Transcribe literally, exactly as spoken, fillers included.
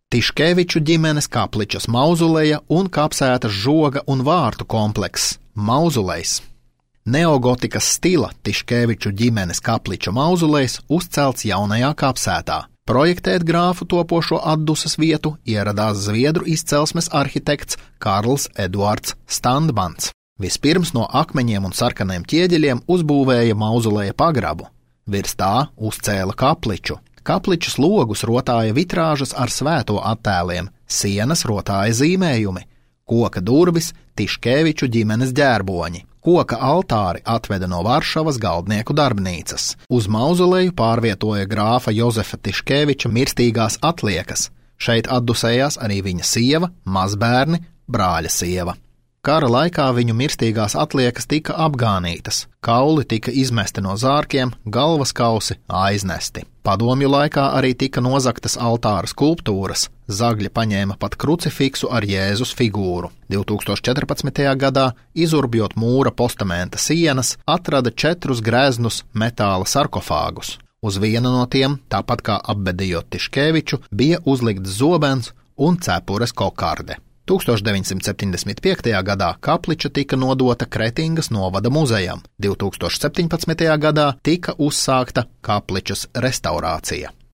Tiškeviču ģimenes kapličas mauzoleja un kapsētas žoga un vārtu komplekss mauzolejs. Neogotikas stila Tiškeviču ģimenes kapliča mauzolejs uzcelts jaunajā kapsētā. Projektēt grāfu topošo atdusas vietu ieradās zviedru izcelsmes arhitekts Karls Eduards Standmans. Vispirms no akmeņiem un sarkaniem ķieģeļiem uzbūvēja mauzoleja pagrabu. Virs tā uzcēla kapliču. Kapličas logus rotāja vitrāžas ar svēto attēliem, sienas rotāja zīmējumi, koka durvis Tiškeviču ģimenes ģērboņi. Koka altāri atveda no Varšavas galdnieku darbnīcas. Uz mauzoleju pārvietoja grāfa Jozefa Tiškeviča mirstīgās atliekas. Šeit atdusējās arī viņa sieva, mazbērni, brāļa sieva. Kara laikā viņu mirstīgās atliekas tika apgānītas, kauli tika izmesti no zārkiem, galvas kausi aiznesti. Padomju laikā arī tika nozagtas altāra skulptūras, zagļi paņēma pat krucifiksu ar Jēzus figūru. divi tūkstoši četrpadsmitajā gadā, izurbjot mūra postamenta sienas, atrada četrus greznus metāla sarkofāgus. Uz viena no tiem, tāpat kā apbedījot Tiškeviču, bija uzlikts zobens un cepures kokarde. tūkstoš deviņsimt septiņdesmit piektajā gadā kapliča tika nodota Kretingas novada muzejam. divi tūkstoši septiņpadsmitajā gadā tika uzsākta kapličas restaurācija.